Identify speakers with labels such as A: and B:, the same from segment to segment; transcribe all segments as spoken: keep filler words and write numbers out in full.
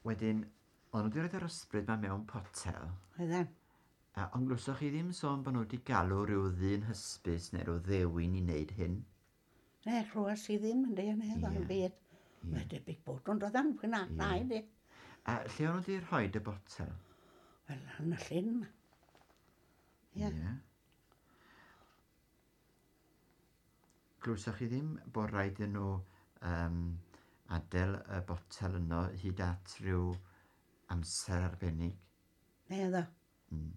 A: Wedyn, o'n nhw wedi rhoi'r ysbryd 'ma mewn potel.
B: Oedden.
A: A, ond glywsoch chi ddim sôn bod nhw wedi galw rhyw ddyn hysbys neu rhyw ddewin i wneud hyn?
B: Ne, clywes i ddim yn de, ne,
A: Ie.
B: yeah. Byd.
A: Ie.
B: Mae debyg bod nhw'n dod am hynna,
A: Ie.
B: na i di.
A: A lle o'n nhw wedi rhoi y botel?
B: Wel, yn y llyn 'ma. Ie.
A: Ie. Glywsoch chi ddim bod rhaid iddyn nhw um, adael y botel yno hyd at rhyw amser arbennig?
B: Ne, ddo.
A: Mm.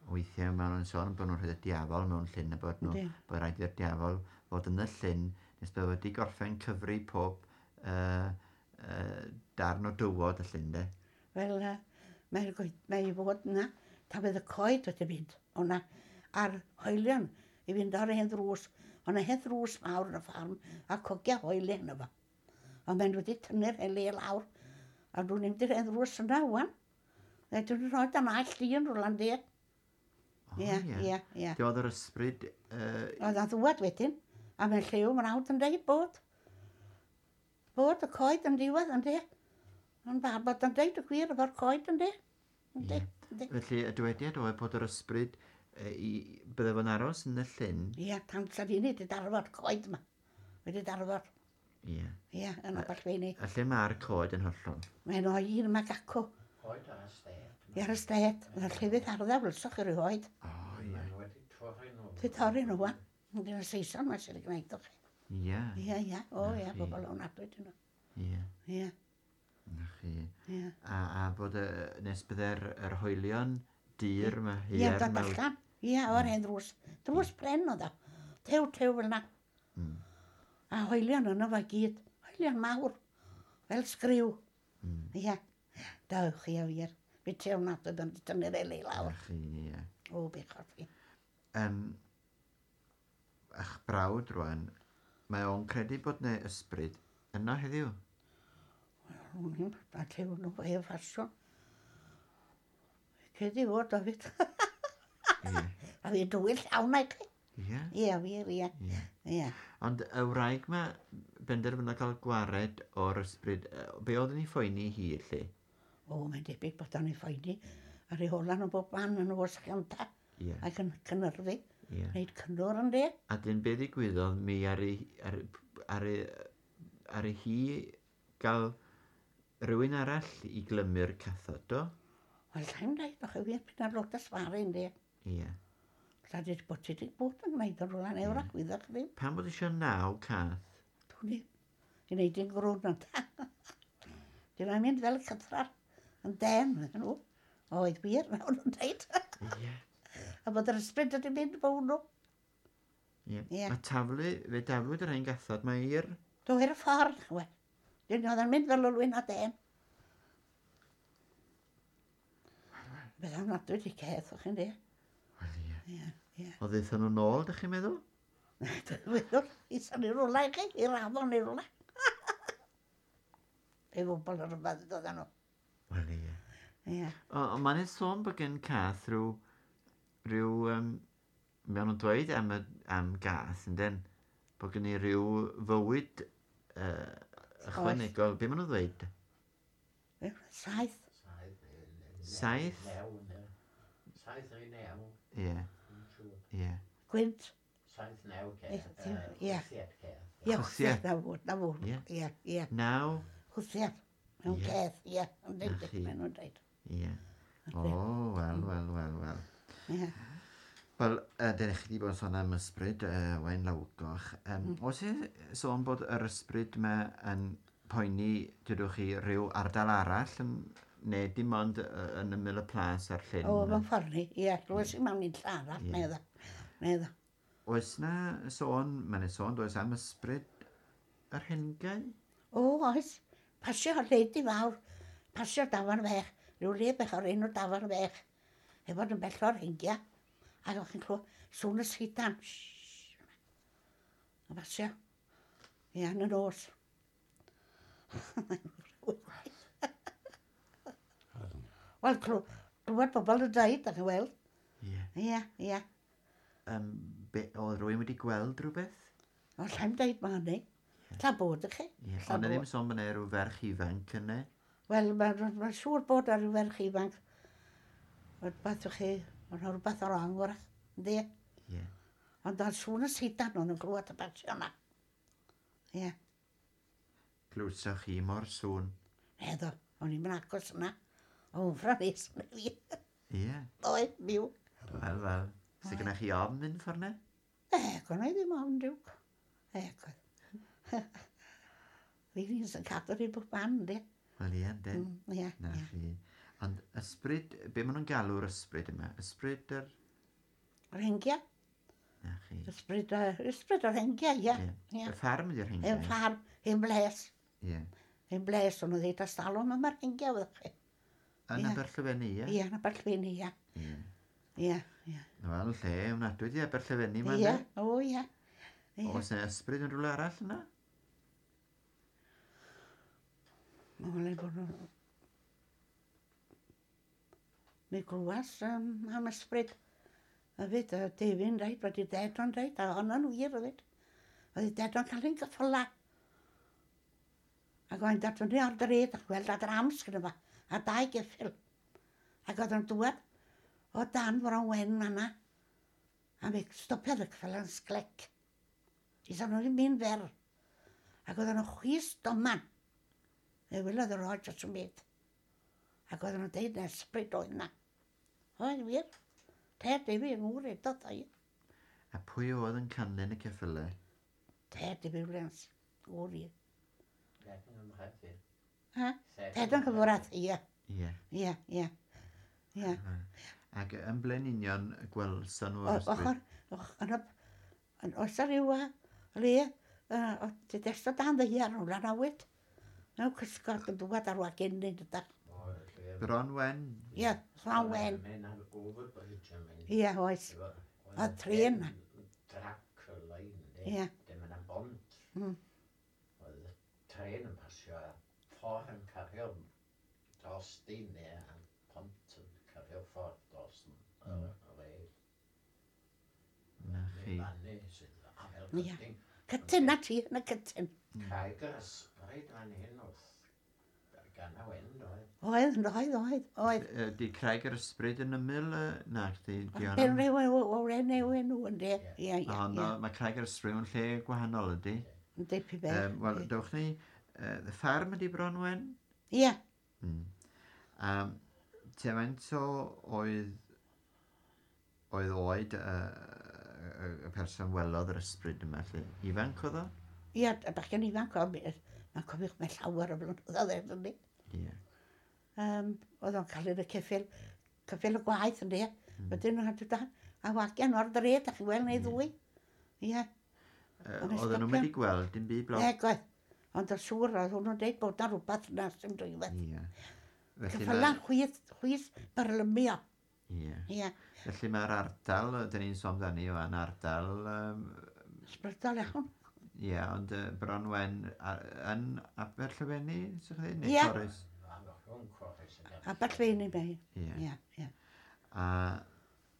A: Weithiau maen nhw'n sôn bod nhw'n rhoi y diafol mewn llyn a bod nhw,
B: Yndi.
A: bod rhaid i'r diafol fod yn y llyn nes bod wedi gorffen cyfri pob uh, uh, darn o dywod y llyn de.
B: Wel, uh, mae'r goed, mae i fod yna, ta fydd y coed wedi mynd o'na, a'r hoelion i fynd ar hen ddrws. O'na hen ddrws mawr yn y ffarm, a cogia hoelion yno fo. Ond mae'n wedi tynnu'r hen le lawr, a dwi'n mynd i'r hen ddrws yna wan. Ne, dwi'n rhoi dan all di yn rwla'n di.
A: O,
B: Ie, ie, ie.
A: Lle oedd yr ysbryd... Uh,
B: Oedd o'n ddwad wedyn, a mae'n lliw mrawd yn deud bod. Bod y coed yn diwedd yn di. Ond ba bod yn deud y gwir efo'r coed yn di. Yndi, yndi.
A: Felly y dywediad oedd bod yr ysbryd uh, i, bydde fo'n aros yn y llyn.
B: Ie, tan sa ni wedi darfod coed yma. Wedi darfod.
A: Ie.
B: Ie, yn Aberllwyni.
A: A lle mae'r coed yn hollol?
B: Mae'n o un yma gacw.
C: Coed ar y sted.
B: Ie, ar y sted. Yna'r llefydd arddaf wlsoch chi rioed.
A: O, ie.
C: Maen nhw wedi torri nhw.
B: Wedi torri nhw wan. Yndyn y Saeson mae'n sy'n gwneud o chi.
A: Ie.
B: Ie, ie. O,
A: Na
B: ie,
A: chi.
B: bobl o'n adwyd nhw.
A: Ie.
B: Ie,
A: Na chi.
B: ie.
A: A, a bod y, nes bydde'r yr hoelion dir yma,
B: Ie,
A: haearn
B: dod
A: mawr.
B: allan. Ie, o'r hen ddrws. Drws pren oedd o. Tew, tew fel na.
A: Mm.
B: A hoelion yno fo gyd. Hoelion mawr. Fel sgriw.
A: Mm.
B: Ie. Dewch chi a wir. Fi tew nad oedd yn tynnu'r eli lawr.
A: Na chi, ie.
B: O, bechod fi.
A: Um, a'ch brawd rwan, mae o'n credu bod 'na ysbryd yno heddiw.
B: Wel, o'n i'n a tew nhw fe ffasiwn. Credu fod o fyd.
A: Ie.
B: A fi dwyll llawn ag chi.
A: Ie.
B: Ie, wir, ie.
A: Ie.
B: Ie.
A: Ond y wraig ma benderfynodd cael gwared o'r ysbryd, yy, be oedd yn ei phoeni hi, lle?
B: O, mae'n debyg bod o'n ei phoeni. A rheolan o bob man yn oes cynta.
A: Ie.
B: Ac yn cynyrfu.
A: Ie.
B: Wneud cynnwr yn de.
A: A dyn be ddigwyddodd, mi ar ei, ar, ar, ei, ar ei hi gael rhywun arall i glymu'r cathod, do?
B: Wel, llai'n dweud, o'ch chi wir, pyn ar lot o sfaru yn de.
A: Ie.
B: Lla di bod ti wedi bod yn gwneud yn rhywle neu wrach, wyddoch chi ddim.
A: Pam bod eisiau naw cath?
B: Dwi'n i, i wneud yn grwn ond. Dyn nhw'n mynd fel cythrar yn den, ydyn nhw. Oedd wir, mewn nhw'n dweud.
A: Ie.
B: A bod yr ysbryd wedi mynd bown nhw.
A: Ie.
B: Ie.
A: A taflu, fe daflwyd yr ein gathod, mae i'r...
B: Do i'r ffordd, we. Dyn nhw oedd yn mynd fel olwyn o den. Beth am nad wedi ceth, o'ch chi'n de.
A: Wel, ie.
B: Ie, ie.
A: O ddaethon nhw nôl, dych chi'n meddwl?
B: Wyddwn, i syni rwla i chi, i'r afon i rwla. Ei bobl yn rhywbeth dod nhw.
A: Wel, ie.
B: Ie.
A: O, ond mae'n sôn bod gen cath rhyw... rhyw... Um, maen nhw'n dweud am, y, am gath, yndyn? Bod gen i rhyw fywyd uh, ychwanegol. Be maen nhw'n dweud?
B: Saith.
C: Saith.
A: Saith?
C: New, ne. Saith neu new.
A: Ie,
C: Dwi'n siŵr.
A: ie.
B: Gwynt.
C: Saith new ceth.
B: Ie, ie.
C: Chwthiad ceth.
B: Ie,
A: Chwthiad.
B: chwthiad, na fo, na fo.
A: Ie.
B: Ie, ie.
A: Naw?
B: Chwthiad. Mewn
A: Ie.
B: ceth, ie. Yn
A: Na
B: deud,
A: chi.
B: maen nhw'n deud.
A: Ie. O, wel, wel, wel, wel.
B: Ie.
A: Wel, uh, dyn chi wedi bod yn sôn am ysbryd, uh, Waun Lawgoch. Um, mm. Oes e sôn bod yr ysbryd yma yn poeni, dydwch chi, rhyw ardal arall, yn, neu dim ond yy, yn ymyl y plas a'r llyn?
B: O, mewn ffordd ni, ie. Rwy'n sy'n mewn i'n arall,
A: Ie.
B: neu ddo. Neu ddo.
A: Oes na sôn, mae'n sôn, does am ysbryd yr hengau?
B: O, oes. Pasio leidi fawr. Pasio dafan fech. Rhyw le bech o'r enw dafan fech. Efo yn bell o'r hengia. Ac o'ch chi'n clywed sŵn y sidan. Shhh. A pasio. Ie, yn y nos. Wel, clw- clywed bobl yn dweud, ac yn weld.
A: Ie.
B: Ie, ie.
A: Um, be, oedd rhywun wedi gweld rhywbeth?
B: O, llai'm deud ma hynny. Lla bod i chi.
A: Ie.
B: Lla
A: Ond na ddim
B: bod.
A: sôn bod yna rhyw ferch ifanc yna.
B: Wel, mae'n ma siŵr bod ar ryw ferch ifanc. Rhywbeth ych chi, mae'n rhywbeth o'r angwr, yndi?
A: Ie.
B: Ond oedd sŵn y seidan o'n yn glwad y basio yna. Ie,
A: Glywsoch chi mor sŵn.
B: Heddo, o'n i'n agos yna. O, wmffra nes yn fi.
A: Ie.
B: Oedd, miw.
A: Wel, wel. Sy gennych chi ofn mynd ffordd ne?
B: E, gwna i ddim ofn diwc. E, gwna. Fi'n un sy'n cadw ni bob man, yndi?
A: Wel, ie, yndyn.
B: Mm, Ie,
A: Na
B: ie.
A: chi. Ond ysbryd, be maen nhw'n galw'r ysbryd yma? Ysbryd yr...
B: Yr hengia.
A: Na chi.
B: Ysbryd, yy, ysbryd o'r hengia, ie.
A: Ie.
B: Ie.
A: Y ffarm ydy'r
B: Hen
A: hengiau.
B: ffarm, hen bles.
A: Ie.
B: Hen bles, o'n nhw'n dweud astalwm yma'r hengia, fyddwch chi.
A: Yn
B: Ie.
A: Aberllefenni, ie?
B: Ie, yn Aberllefenni, ie.
A: Ie.
B: Ie, ie.
A: Wel, lle, ofnadwy di Aberllefenni ma,
B: Ie,
A: yndê?
B: o ie. Ie.
A: Oes 'na ysbryd yn rhywle arall yna?
B: Mae'n le bod nhw... Mi glwas um, am ysbryd. Hefyd, y Defyn dweud, wedi ded o'n dweud, a honno'n wir hefyd. Oedd ded o'n cael ein gyffyla. Ac oedd dod fyny ar dred a gweld ad rams gyda fo, a dau geffyl. Ac oedd o'n dŵad o dan Fron Wen fan'na. A mi stopiodd y ceffyl yn sglec. Isa nhw ddim mynd fer. Ac oedd nhw'n chwys doman. Fe welodd y rod dros y byd. Ac oedden nhw'n deud na ysbryd oedd na. Oedd wir. Ted David yng ngŵr eto doi.
A: A pwy oedd yn canlyn y ceffylau?
B: Ted David Williams. Gŵr i.
C: Ledyn yn rhaid.
B: Ha? Ted yn cyfwrath, ie.
A: Ie.
B: Ie, ie. Ie.
A: Ac yn ble'n union y gwelson nhw'r
B: O-
A: ysbryd?
B: Ochr, och, yn y, yn oes a ryw a le, yy, o, ti desto dan ddaear hwnna nawyd. Mewn cysgod yn dŵad ar wagenyn ydach.
A: Bron Wen.
B: Ie, Fron Wen.
C: Mae'n ar overbridge yn mynd.
B: Ie, oes. A trên.
C: Trac y lein,
B: Ie.
C: Dim yna bont.
B: Mm.
C: Oedd y tren yn pasio a ffordd yn cario dros di neu a pont yn cario ffordd dros yn y rail.
A: Na chi.
C: Fanny sydd afel
B: Ie.
C: cytyn.
B: Cytyn na ti, na cytyn.
C: Craig yr ysbryd fan hyn wrth gan y wen, doedd.
B: Oedd, oedd, oedd, oedd.
A: Yy, Di Craig yr Ysbryd yn ymyl? yy, Na, di, di
B: Pen rhyw o'r enw enw ynddi. Ie, ie,
A: Ond
B: ie.
A: mae Craig yr Ysbryd mewn lle gwahanol ydy.
B: Yndi, pi be.
A: Um, Wel, dewch ni, uh, y ffarm ydy Bron Wen?
B: Ie,
A: Mm. Um, Te faint o oedd, oedd oed y, y, y person welodd yr ysbryd yma, lle? Ifanc oedd o?
B: ie, y bachgen ifanc oedd, mae'n cofiwch mae llawer o flynyddoedd ers hynny.
A: Ie.
B: Um, oedd o'n cael yn y ceffyl, ceffyl y gwaith ynddi. Wedyn nhw'n dod a wagian o'r dre, da chi weld neu ddwy. Ie,
A: Uh,
B: Ond
A: Oedden nhw'n
B: stopio.
A: mynd i gweld dim byd blawd.
B: e, gwaith. Ond oedd siŵr, oedd hwnnw'n deud bod na rhywbeth yna sy'n dwywaith.
A: Ie. Felly
B: Ceffyla'n
A: ma-
B: chwith, chwith byrlymio.
A: Ie.
B: Ie,
A: Felly mae'r ardal, dyn ni'n sôn amdani o an ardal, um,
B: ysbrydol iawn.
A: ie, ond uh, Bron Wen a- yn Aberllefenni, sy'ch chi ddweud? Neu
B: Ie.
A: Corris?
C: Rhwng Corris ac
B: Aberllefenni mae.
A: Ie.
B: Ie, ie.
A: A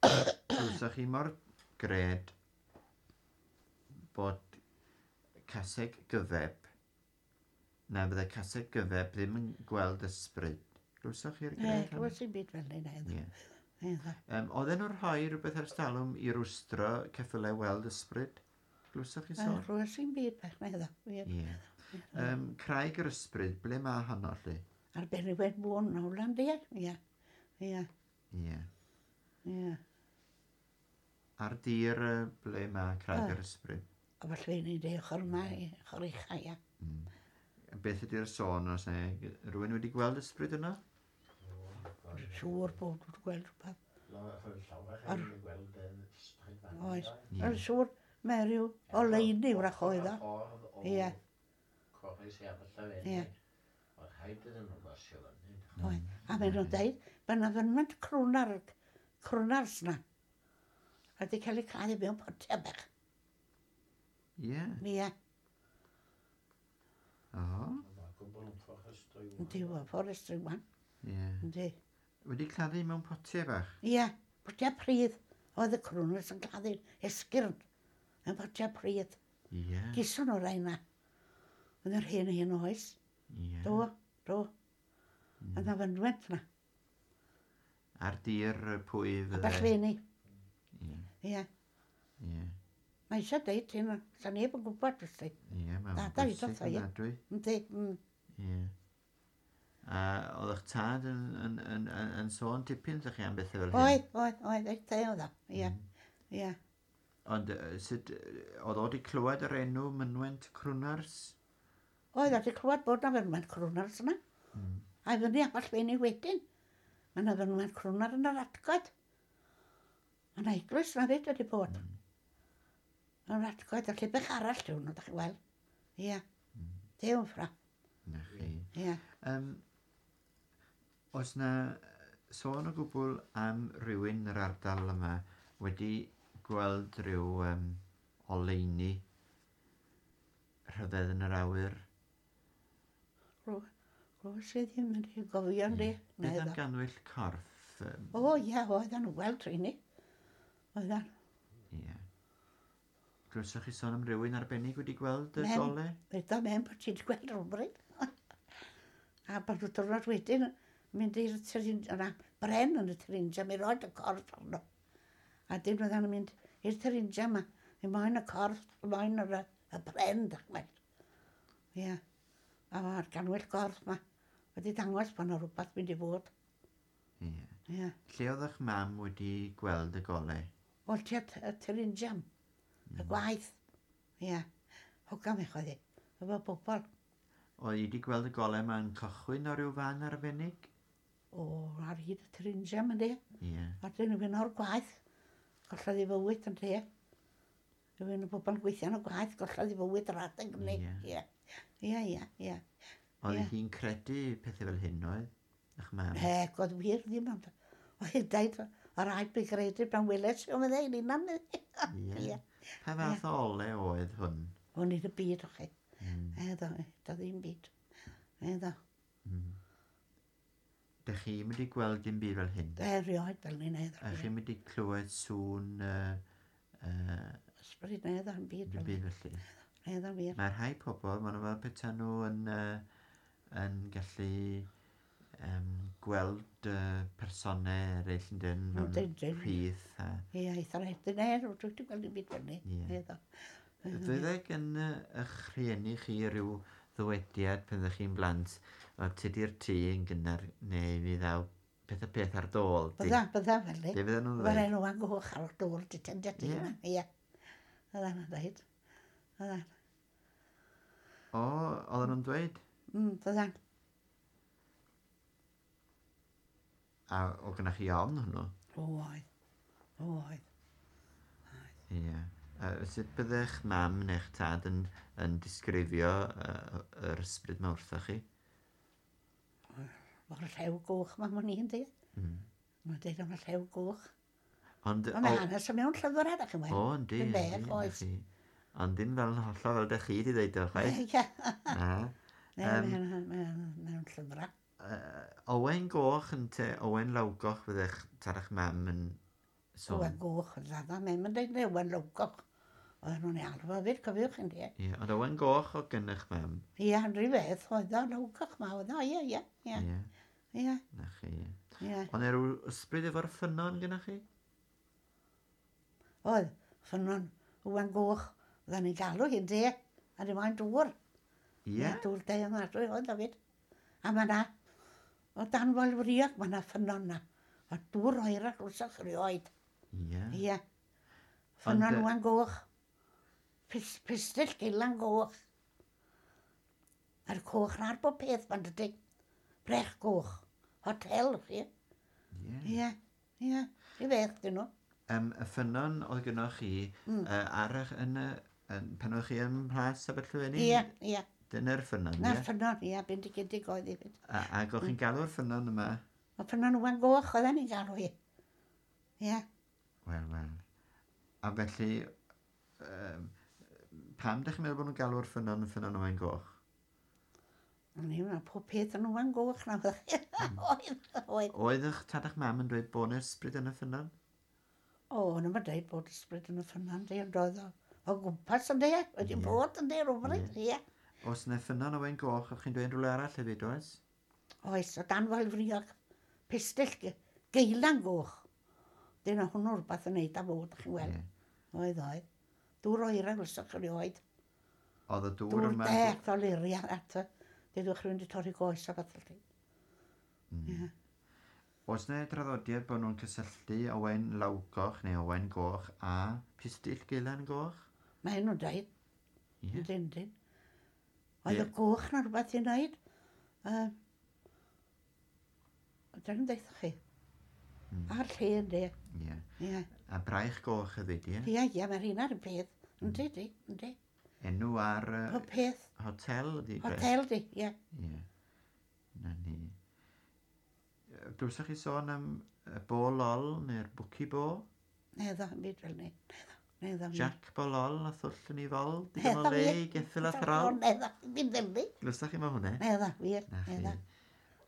A: wrthych chi mor gred bod caseg gyfeb, na fydde caseg gyfeb ddim yn gweld ysbryd. Glywsoch chi'r
B: Ne,
A: gred hwnna?
B: glywes i'n byd fel hynny.
A: Ie.
B: Ie.
A: Um, oedden nhw'n rhoi rhywbeth ers talwm i rwystro ceffylau weld ysbryd? Glywsoch chi sôn?
B: Glywes i'n byd bach, na iddo.
A: Ie. Um, Craig yr ysbryd, ble mae honno, lle?
B: Ar ben i wen bwn, hwnna'n di, ie. Ie,
A: Ie.
B: ie.
A: Ar dir yy, ble mae Craig
B: Ah.
A: yr ysbryd?
B: A falle ni'n dweud ochr yma, i ochr ucha, ie.
A: Beth ydy'r sôn os ne? Rhywun wedi gweld ysbryd yno?
B: Siŵr bod wedi gweld rhywbeth.
C: Llawer
B: Ar-
C: yn gweld y ysbryd fan
B: Oes.
C: hyn,
B: Yn siŵr, mae rhyw oleuni wrach oedd o.
C: Ffordd o
B: Ie.
C: Corris i Aberllefenni.
B: Ie.
C: Oedd rhaid iddyn nhw basio fyny.
B: Oedd. A maen nhw'n dweud, mae yna fynwent crwnar, crwnars na. A wedi cael ei claddu mewn potiau bach.
A: Ie.
B: Ie,
A: O.
C: Mae gwbl yn fforestry.
B: yndi, o, forestry wan.
A: Ie.
B: Yndi.
A: Wedi claddu mewn potiau bach?
B: Ie, potiau pridd. Oedd y crwnars yn claddu esgyrn yn potiau pridd.
A: Ie.
B: Gison o'r rhain na. Yn yr hen hen oes.
A: Ie.
B: Do, do. Mm. Yna fynwent yna.
A: Ar dir pwy fydde?
B: Aberllwyni.
A: Ie.
B: Ie.
A: Ie.
B: Mae eisiau deud hyn, sa neb yn gwybod, felly.
A: Ie, mae'n
B: Dada i
A: bwysig
B: dod, ie.
A: ofnadwy.
B: Yndi, mm.
A: Ie. A oedd eich tad yn, yn, yn, yn, yn sôn tipyn ydych chi am bethau fel hyn?
B: Oedd, oedd, oedd, eitha oedd o. Ie, ie.
A: Ond yy, sut, yy, oedd o wedi clywed yr enw Mynwent Crwnars?
B: Oedd, wedi clywed bod na fynwent Crwnars yna.
A: Mm.
B: A i fyny Aberllwyni wedyn. Mae yna fynwent Crwnar yn yr Atgoed. Mae yna eglwys na fyd wedi bod.
A: Mm.
B: Yn yr Atgoed, a lle bech arall yw hwnnw, dach chi weld. Ie.
A: Mm.
B: Dew yn ffra.
A: Na chi.
B: Ie.
A: Um, oes na sôn o gwbl am rywun yn yr ardal yma wedi gweld rhyw um, oleuni rhyfedd yn yr awyr?
B: Rwy'n i ddim yn ei gofio ni.
A: Beth am ganwyll corff? Yym,
B: O ie, oedden nhw weld rheini. Oedden.
A: Ie. Glywsoch chi sôn am rywun arbennig wedi gweld y
B: Men.
A: gole?
B: Feda men bod ti wedi gweld rhywbryd. A bod nhw diwrnod wedyn mynd i'r tyrin, yna, bren yn y Tyrinja, mi roed y corff arno. A dyn oedden nhw'n mynd i'r Tyrinja yma, mi moyn y corff, moyn yr, y bren, dach chi'n Ie. A mae'r ganwyll gorff yma wedi dangos bod yna rhywbeth mynd i fod.
A: Ie.
B: Ie.
A: Lle oedd eich mam wedi gweld y gole?
B: Wel, tua y Tyrinja, y gwaith. Ie. Hogan mi oedd hi, efo bobl.
A: Oedd hi wedi gweld y gole yma'n cychwyn o ryw fan arbennig?
B: O, ar hyd y Tyrinja, mynd i.
A: Ie.
B: A dyn nhw'n o'r gwaith. Gollodd ei fywyd yn te. Rhywun o bobl yn gweithio yn y gwaith, gollodd ei fywyd yr adeg hynny.
A: Ie.
B: Ie. Ie, ie, ie.
A: Oedd
B: Ie.
A: hi'n credu pethau fel hyn oedd? Eich mam?
B: Heg, oedd wir ddim ond. Oedd hi'n deud, o rhaid fi gredu pan weles i o'n meddwl, unan.
A: Ie.
B: Ie.
A: Pa fath o ole oedd hwn?
B: O'n i'n y byd o chi.
A: Mm.
B: Eddo, do ddim byd. Eddo.
A: Mm. Dych chi'n mynd i gweld dim byd fel hyn?
B: Erioed fel ni'n eddo.
A: A chi'n mynd i clywed sŵn uh, uh,
B: Ysbryd eddo yn byd
A: dim
B: fel
A: byd felly?
B: Eddo wir.
A: Mae rhai pobl, maen nhw fel petaen nhw yn, uh, yn gallu um, gweld uh, personau eraill yn dyn mewn
B: Yndyn, dyn.
A: rhith. A...
B: Ie, eitha rhaid yn er, dwi wedi gweld dim byd fel ni.
A: Ie.
B: Eddo.
A: Fyddai gan yy, eich rhieni chi ryw ddywediad pan ddech chi'n blant, o tydi'r tŷ yn gynnar neu fi ddaw peth a peth ar dôl. di."
B: Bydda, bydda fel ni.
A: Be fydden nhw'n
B: Mae'r
A: ddweud?
B: enw yn goch ar y dŵr, di tendio ti
A: Ie.
B: yna. Ie. Bydda nhw'n dweud. Bydda.
A: O, oedden nhw'n dweud?
B: Mm, bydda.
A: A o gynnach chi ofn hwnnw?
B: O, oedd. O, oedd.
A: Ie. Uh, sut byddech mam neu'ch tad yn, yn disgrifio uh, yr ysbryd ma wrthoch chi?
B: Mae'r llew goch ma, ma'n i'n dweud.
A: Mm.
B: Mae'n dweud am y llew goch.
A: Ond,
B: Ond mae hanes yn mewn llyfrau, da chi'n
A: o,
B: weld.
A: yndi,
B: Dwi'n
A: yndi,
B: bech,
A: na
B: oes.
A: chi. Ond dim fel yn hollol fel dych chi wedi dweud o, chwaith.
B: Ie.
A: Na.
B: Ne,
A: Yym.
B: Mae'n mewn llyfrau.
A: Uh, Owen Goch yn te Owen Lawgoch fyddech tad a'ch mam yn sôn.
B: Owen goch, oedd ddada, mae'n mynd dweud Owen Lowgoch. Oedden nhw'n ei alw fyd, cofiwch yn di.
A: Ie, ond Owen Goch o gynnych mam.
B: Ie, yn rhyw beth, oedd o Lowgoch ma, oedd o, ie, ie, ie,
A: Ie,
B: ie,
A: na chi.
B: ie.
A: Ond er rhyw ysbryd efo'r ffynnon gynnach chi?
B: Oedd, ffynnon, Owen goch, oedden ni'n galw hi'n de, a ddim moyn dŵr.
A: Ie.
B: Dŵr de yma, dwi oedd hefyd. A mae na, o dan Foelfriog, mae na ffynnon na. A dŵr oerach wrthych rioed.
A: Ie.
B: Ie. Ffynnon
A: Ond, yy,
B: Owen goch. Pis, pistyll gilan goch. A'r coch na'r bob peth ma'n dydy. Brech goch. Hotel, chi.
A: Ie.
B: Ie, ie. I beth dyn nhw.
A: Um, y ffynnon oedd gynnoch chi
B: Mm.
A: uh, ar eich, yn, y, yn, pan o'ch chi ym Mhlas Aberllwyni?
B: Ie, ie.
A: Dyna'r ffynnon,
B: Na'r
A: ie?
B: ffynnon, ie, bendigedig oedd i fyd.
A: A, ac o'ch chi'n galw'r ffynnon yma?
B: O ffynnon Owen goch oedden ni'n galw hi. Ie.
A: Wel, wel. A felly, um, pam dych chi'n meddwl bod nhw'n galw'r ffynnon yn ffynnon Owen Goch?
B: O'n i'n meddwl pob peth yn Owen goch na fyddech chi. Oedd, oedd.
A: Oedd eich tad a'ch mam yn dweud bod yna ysbryd yn y ffynnon?
B: O, o'n i'n dweud bod ysbryd yn y ffynnon, di, ond oedd o o gwmpas yn de, wedi
A: Ie.
B: bod yn de, rhywbryd, ie.
A: Oes yna ffynnon Owen Goch, o'ch chi'n dweud rhywle arall hefyd, oes?
B: Oes, o dan Foel Friog. Pistyll geilan goch. Dyna hwnnw rhywbeth yn neud â fod, chi'n weld.
A: Ie.
B: Oedd, oedd. Dŵr oera gwelsoch chi erioed.
A: Oedd y dŵr
B: Dŵr
A: yma...
B: death o liria at y... Dydwch rhywun wedi torri goes a fath felly.
A: Mm.
B: Ie.
A: Oes 'na draddodiad bod nhw'n cysylltu Owain Lawgoch neu Owain Goch a Pistyll Geilan Goch?
B: Mae nhw'n dweud.
A: Ie.
B: Yndyn, yndyn. Oedd y
A: Ie.
B: goch na rhywbeth i wneud. Um, Dyna'n deutha chi.
A: Mm.
B: A'r lle ynddi.
A: Ie.
B: Ie.
A: A Braich Goch hefyd, ie?
B: Ie, ie, mae'r un ar y peth. Yndi, di, yndi.
A: Enw ar uh,
B: Pob peth.
A: hotel ydi? Braich?
B: Hotel di, ie.
A: Ie. Na ni. Yy, Glywsoch chi sôn am y Bo Lol neu'r Bwci Bo?
B: Neddo, yn byd fel ni. Neddo, neddo.
A: Jack Bo Lol a thwll yn ei fol? Digon o
B: Neddo,
A: le
B: wir.
A: i geffyl a throl?
B: Neddo, ddim ddim di.
A: Glywsoch chi ma hwnna?
B: Neddo, wir,
A: Na chi.
B: neddo.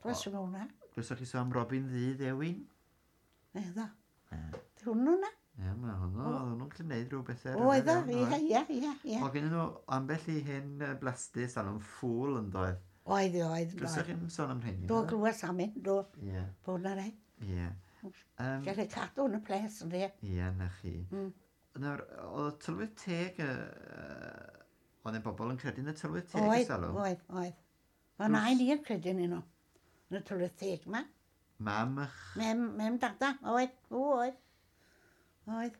B: Glywes i hwnna.
A: Glywsoch chi sôn am Robin Ddu Ddewin?
B: Neddo.
A: Ie,
B: Di hwnnw na?
A: Ie, mae hwnnw, oedd hwnnw'n gallu gwneud rhyw bethau
B: Oedd o,
A: rhyfedd iawn,
B: ie, ie, ie, ie.
A: Oedd gen nhw ambell i hen yy, blastus a nhw'n ffŵl yn doedd.
B: Oedd, oedd,
A: Glywsoch
B: oedd.
A: chi'n sôn am rheini?
B: Do
A: naddo?
B: glywes am hyn, do.
A: Ie,
B: Bod na rai.
A: ie. Um,
B: Gael ei cadw yn y ples, ynddi.
A: Ie, na chi.
B: Mm.
A: Nawr, oedd y tylwyth teg, yy, oedd y bobl yn credu yn y tylwyth teg
B: Oedd,
A: ers talwm?
B: oedd, oedd. Oedd nain i'n credu yn nhw. Yn y tylwyth teg ma.
A: Mam ych...
B: Mem, mem dada, oedd, o, oedd. Oedd.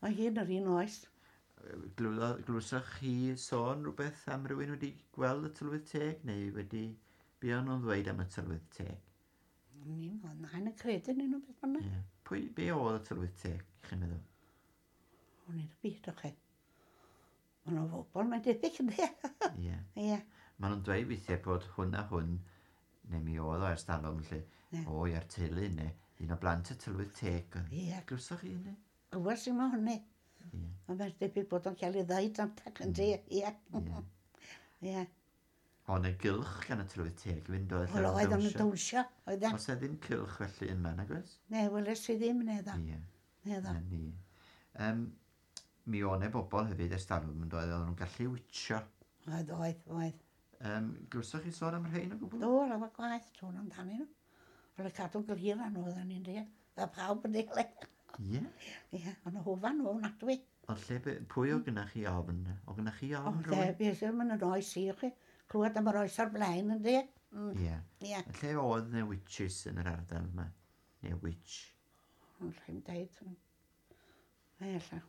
B: Oedd hi'n yr un oes.
A: Glywlo- Glywsoch chi sôn rhywbeth am rywun wedi gweld y tylwyth teg, neu wedi... Be o'n nhw'n ddweud am y tylwyth teg?
B: Ni'n oedd nain yn credu yn nhw beth bynnag.
A: Ie. Pwy, be oedd y tylwyth teg, chi'n meddwl?
B: O'n i'n y byd o chi. Mae nhw'n bobl, mae'n debyg ynddi.
A: Ie.
B: Ie.
A: Maen nhw'n dweud weithiau bod hwn a hwn, neu mi oedd o ers talwm, lle,
B: Ie.
A: o, ie'r teulu, neu un o blant y tylwyth teg. oedd.
B: Ie.
A: Glywsoch chi hynny?
B: Glywes i mo hynny.
A: Ie.
B: Ond mae'n debyg bod o'n cael ei ddeud am tac yn di. Ie.
A: Ie.
B: Ie.
A: Ond y gylch gan y tylwyth teg fynd oedd
B: Wel, oedd o'n dawnsio. Oedd e.
A: Os e ddim cylch felly yma, nag oes?
B: Ne, weles i ddim, ne ddo.
A: Ie.
B: Ne ddo.
A: Na ni. Um, mi o'n e bobl hefyd ers talwm yn doedd, oedden nhw'n gallu witsio.
B: Oedd, oedd, oedd.
A: Um, glywsoch chi sôn am rhain o gwbl?
B: Do, lawer gwaith, sôn amdanyn nhw. Oedd y cadw'n glir â nhw, oedden ni'n dweud. Fe pawb yn deall.
A: Ie.
B: Ie, ond y hofan nhw, ofnadwy.
A: Ond lle, be- pwy o gynnach chi ofn? O gynnach chi
B: O,
A: ofn
B: de,
A: rhywun?
B: beth yw'n mynd yn oes i chi. Clywed am yr oes o'r blaen, yn di. Mm,
A: Ie.
B: Ie,
A: Lle oedd ne witches yn yr ardal yma? Neu witch?
B: ond rhaid deud. Mae alla.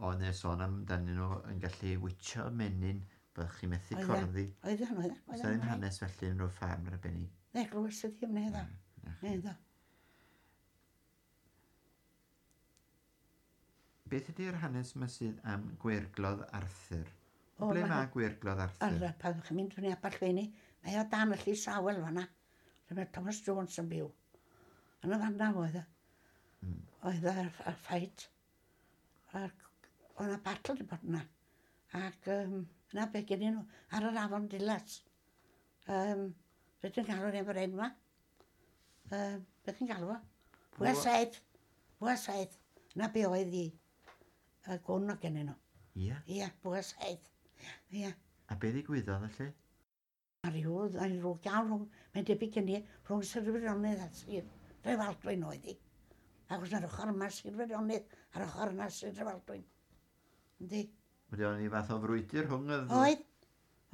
A: Oedd ne sôn amdanyn nhw yn gallu witsio menyn, byddech chi methu
B: Oedd e.
A: corddi.
B: Oedd yn, oedd
A: Oes 'na ddim hanes felly yn rhyw ffarm arbennig?
B: Ne, glywes i ddim, ne ddo.
A: Na chi.
B: Ne ddo.
A: Beth ydy'r hanes yma sydd am Gweirglodd Arthur?
B: O,
A: Ble
B: ma'
A: mae Gweirglodd Arthur?
B: Ar, pan ydych chi'n mynd fyny Aberllwyni, mae o dan y llys awel fanna. Lle mae Thomas Jones yn byw. Yn y fanna oedd e.
A: Mm.
B: Oedd y, y ffait. A'r, oedd yna battle wedi bod yna. Ac um, yna be gen nhw, ar yr afon Dilas. Um, Be ti'n galw efo'r enwa? Um, be chi'n galw fo? Bwa saith. Bwa saith. Na be oedd hi. Y gwn o gennyn nhw.
A: Ie.
B: Ie, bwa saith. Ie.
A: A be ddigwyddodd felly?
B: A rhyw, a rhyw iawn rhwng, mae'n debyg gen i, rhwng Sir Feirionnydd a Sir Drefaldwyn oedd hi. Achos ar ochr yma Sir Feirionnydd, a'r ochr yna Sir Drefaldwyn. Yndi?
A: Wedi o'n i fath o frwydr rhwng y... ddwy-
B: Oedd,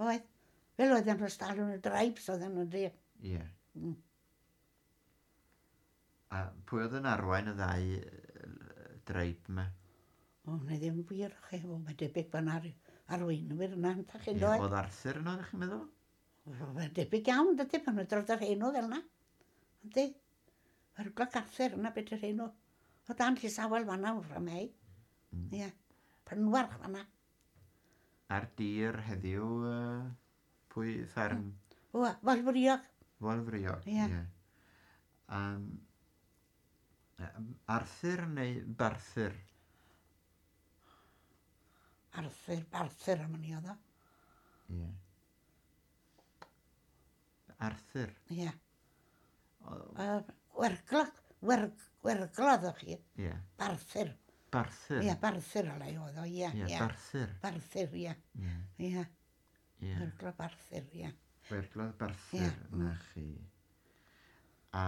B: oedd. Fel oedd yn ystalwn y draibs oedd yn yndi.
A: Ie.
B: Mm.
A: A pwy oedd yn arwain y ddau yy, dreib yma?
B: O, neu ddim wir, chi, o, mae'n debyg bod yna arweinwyr yna, yn chi'n
A: Ie,
B: dod.
A: Oedd Arthur yno, ydych chi'n meddwl?
B: Mae'n debyg iawn, dydy, pan nhw'n dod ar hyn o fel yna. Yndi? Mae'r gloc Arthur yna beth yw'r hyn o. O dan llys awel fanna wrth mei.
A: Mm.
B: Ie. Pynwarch fanna.
A: Ar dir heddiw, yy, pwy fferm?
B: O, Foel Friog.
A: Foel Friog.
B: Ie.
A: Ie. Um, Arthur neu Barthur?
B: Arthur, Barthur am ni oedd o.
A: Ie. Arthur.
B: Ie.
A: O-
B: Uh, Wergloc, werg, werglodd o'ch chi.
A: Ie.
B: Barthur.
A: Barthur.
B: Ie, Barthur ola i oedd o, ie.
A: Ie,
B: Ie,
A: Barthur.
B: Barthur, ie.
A: Ie.
B: Ie.
A: Ie.
B: Gweirglodd Arthur, ie.
A: Gweirglodd Barthur,
B: Ie,
A: na chi. A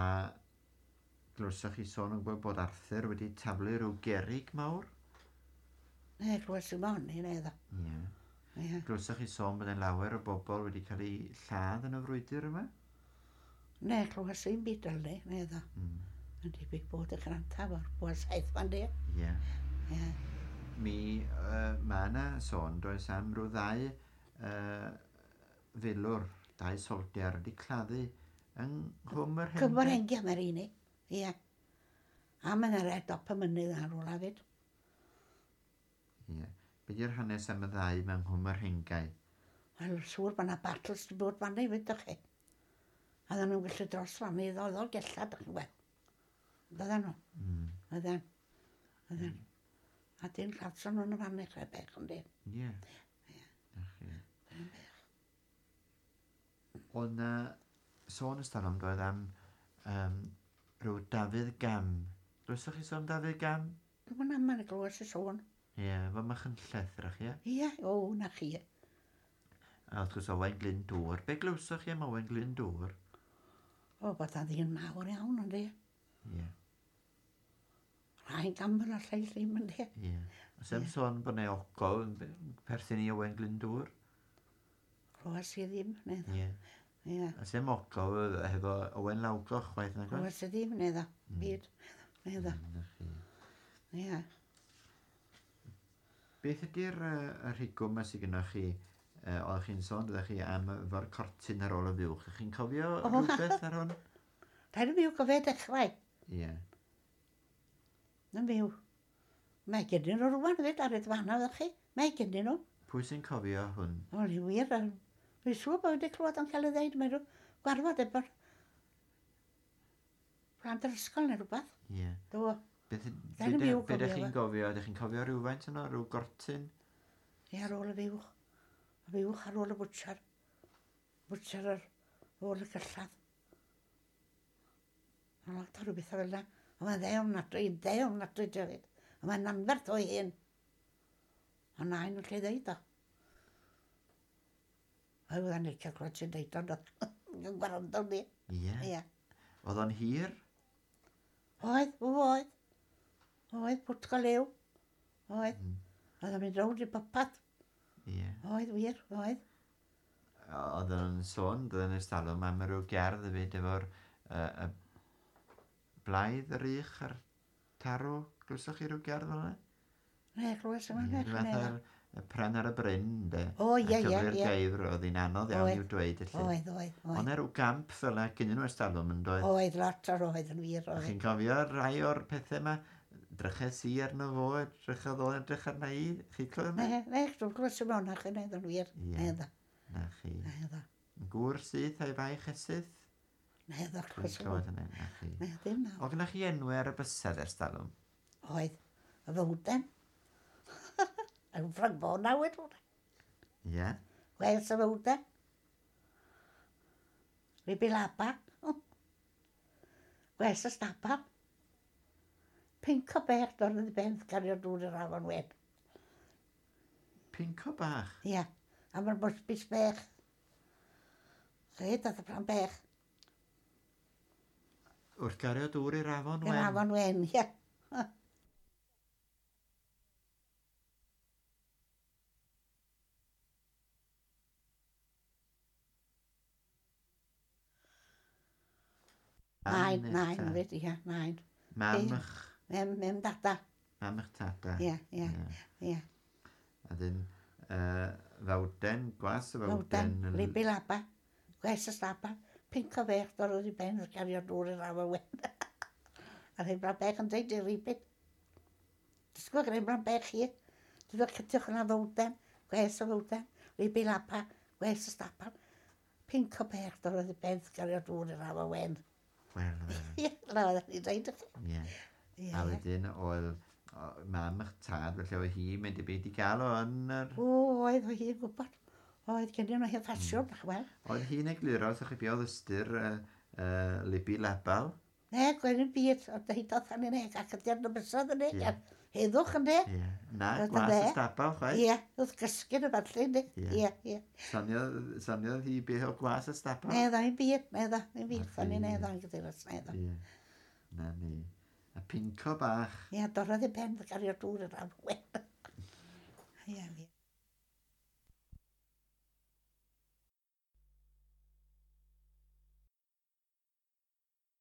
A: glywsoch chi sôn yn gwybod bod Arthur wedi taflu rhyw gerig mawr?
B: Ne, glywes i mon i neu ddo.
A: Ie.
B: Ie.
A: Glywsoch chi sôn bod yn lawer o bobl wedi cael eu lladd yn y frwydr yma?
B: Ne, glywes i'n byd fel ni, neu ddo.
A: Mm.
B: Yn debyg bod y grantaf o'r bwa saith fan di.
A: Ie.
B: Ie.
A: Mi, uh, mae yna sôn, does am rhyw ddau uh, filwr, dau soldier wedi claddu yng Nghwm yr
B: Cymor
A: Hengau.
B: hengia mae'r un i. Ie. A mae'n ar dop y mynydd ar ôl hefyd.
A: Ie. Be di'r hanes am y ddau mewn Nghwm yr Hengau?
B: Wel, siŵr bod yna battles wedi bod fan hefyd, dych chi. A dda nhw'n gallu dros fan i ddod o'r gella, dych chi'n gweld. Dydden nhw.
A: Mm.
B: Oedden. Oedden. A dyn lladson nhw'n y fan eich bech, yndi.
A: Ie. Na chi. Oedd na sôn ystod doedd am um, rhyw Dafydd Gam. Glywsoch chi sôn Dafydd Gam?
B: Dwi'n mynd am yn glywes y sôn.
A: Ie, fo Machynlleth, rach, ie?
B: Ie, o, na chi.
A: A wrth gwrs Owain Glyndŵr. Be glywsoch chi am Owain Glyndŵr?
B: O, bod a ddyn mawr iawn, yndi.
A: Ie,
B: Rhain gamble a lleill ddim, yndi.
A: ie. Oes am sôn bod 'na ogof yn perthyn i Owain Glyndŵr?
B: Glywes i ddim, neu ddo.
A: Ie.
B: Ie.
A: Oes am ogof hefo Owain Lawgoch chwaith nag oes?
B: Glywes i ddim, neu ddo. Byd. Neu ddo.
A: Na chi.
B: Ie.
A: Beth ydy'r uh, y rhigwm yma sydd gennych chi? Uh, oeddech chi'n sôn, doeddech chi am efo'r cortyn ar ôl y fuwch. Ydych chi'n cofio
B: O.
A: rhywbeth ar hwn?
B: Rhaid i fyw gofio dechrau.
A: Ie.
B: Yn fyw. Mae gennyn nhw rwan hefyd ar y dfanna, ddech chi. Mae gennyn nhw.
A: Pwy sy'n cofio hwn?
B: O, ni wir. yym, Dwi'n siŵr bod wedi clywed o'n cael ei ddeud. Mae nhw gwarfod efo'r plant yr ysgol neu rhywbeth.
A: Ie.
B: Do.
A: Beth,
B: Rhaid i
A: be,
B: fi
A: be
B: cofio
A: ydych chi'n
B: fe.
A: gofio? Ydych chi'n cofio rhywfaint yno? Rhyw gortyn?
B: Ie, ar ôl y fuwch. Y fuwch ar ôl y bwtsiar. Bwtsiar ar ôl y gyllad. A lot o rhywbeth fel yna. A mae'n dde ofnadwy, yn dde ofnadwy hefyd. A mae'n anferth o'i hun. A nain yn lle ddeud o. A oedd yn licio clywed sy'n deud o, doedd. Yn gwrando ni.
A: Ie.
B: Ie.
A: Oedd o'n hir?
B: Oedd, o, oedd. Oedd, pwt go lew. Oedd.
A: Mm.
B: Oedd o'n mynd rownd i popeth.
A: Ie.
B: Oedd, wir, oedd.
A: Oedd o'n sôn, doedd yn ystalwm am ryw gerdd hefyd efo'r uh, y blaidd yr ych a'r tarw. Glywsoch chi ryw gerdd fel yna?
B: Ne, glywes yma,
A: Ie,
B: ne,
A: ryw fath
B: ne.
A: o'r y pren ar y bryn, de.
B: O, ie,
A: A
B: ie,
A: cyfri'r
B: ie.
A: geifr, oedd hi'n anodd iawn
B: Oedd.
A: i'w dweud, felly.
B: Oedd, oedd,
A: Ond
B: oedd.
A: na rhyw gamp fel yna gynnyn nhw ystalwm yn doedd.
B: Oedd lot o'r oedd yn wir,
A: O'ch
B: oedd.
A: chi'n cofio rai o'r pethau yma? Dryches i arno fo, edrychodd o edrych arna i. Chi clywed yma?
B: Ne, ne, dwi'n glywes yma hwnna, chi, ne, yn wir.
A: Ie.
B: Ne, ddo,
A: Na chi.
B: ne, ddo.
A: Gŵr syth a'i faich esyth?
B: Ne, ddo,
A: Dwi'n
B: glywes yma.
A: clywed hynny, na chi.
B: Ne, ddim na.
A: O, gynnwch chi enwau ar y bysedd ers talwm?
B: Oedd, y fywden. Yn Ffranc Bona wedi.
A: Ie.
B: Wes y fywden. Ribilaba. Wes y stabal. Pinc o bech dod yn ben cario dŵr i'r afon wen.
A: Pinco bach.
B: Ie, a mae'r bwsbys bech. Rhaid oedd y pran bech.
A: Wrth gario dŵr i'r afon
B: I'r
A: wen.
B: afon wen, ie. Nain,
A: Mam
B: nain,
A: eich
B: fyd, ie, nain.
A: ta- Mam
B: Ie.
A: eich,
B: Mem, mem dada.
A: mam eich tata.
B: Ie, ie,
A: Ie.
B: ie.
A: A dyn, uh, fawden, gwas y fawden.
B: Fawden,
A: yn-
B: ribilaba. Gwes y staba. Pinc o fech dod i ben wrth gario dŵr i'r afon wen. A rhaid bran bech yn deud i'r ribyn. Dysgwch rhaid bran bech hi. Dydwch cytiwch yna fawden, gwes y fawden, ribilaba, gwes y staba. Pinc o bech dod i ben wrth gario dŵr i'r afon wen.
A: Wel, wel,
B: Ie, na oeddech chi'n deud i chi.
A: ie.
B: Ie.
A: A wedyn oedd o, mam eich tad, felly oedd hi mynd i byd i gael o yn yr...
B: O, oedd o hi'n gwybod. Oedd gen nhw hen ffasiwn, mm. wel.
A: Oedd hi'n egluro, wrthych chi be oedd ystyr uh, uh, Libi Labal?
B: Ne, gwen yn byd, ond hi doedd yn eg, ac ydy ar y bysedd yn eg.
A: Ie.
B: Heddwch yndê?
A: Ie. Na,
B: Roedd
A: gwas
B: yn
A: y
B: dde.
A: stabal, chwaith.
B: Ie, wrth gysgu yn y falle, yndê?
A: Ie.
B: Ie, ie.
A: Soniodd, soniodd hi beth o gwas y stabal?
B: Ne, dda, i'n byd, ne, dda, i'n byd.
A: Na
B: O'n i'n
A: fi.
B: ne, dda, i'n gyda'r ne, dda.
A: Ie. Na ni. A pinco bach.
B: Ie, dorrodd ei pen, gario dŵr yn am wen. Ie, ie.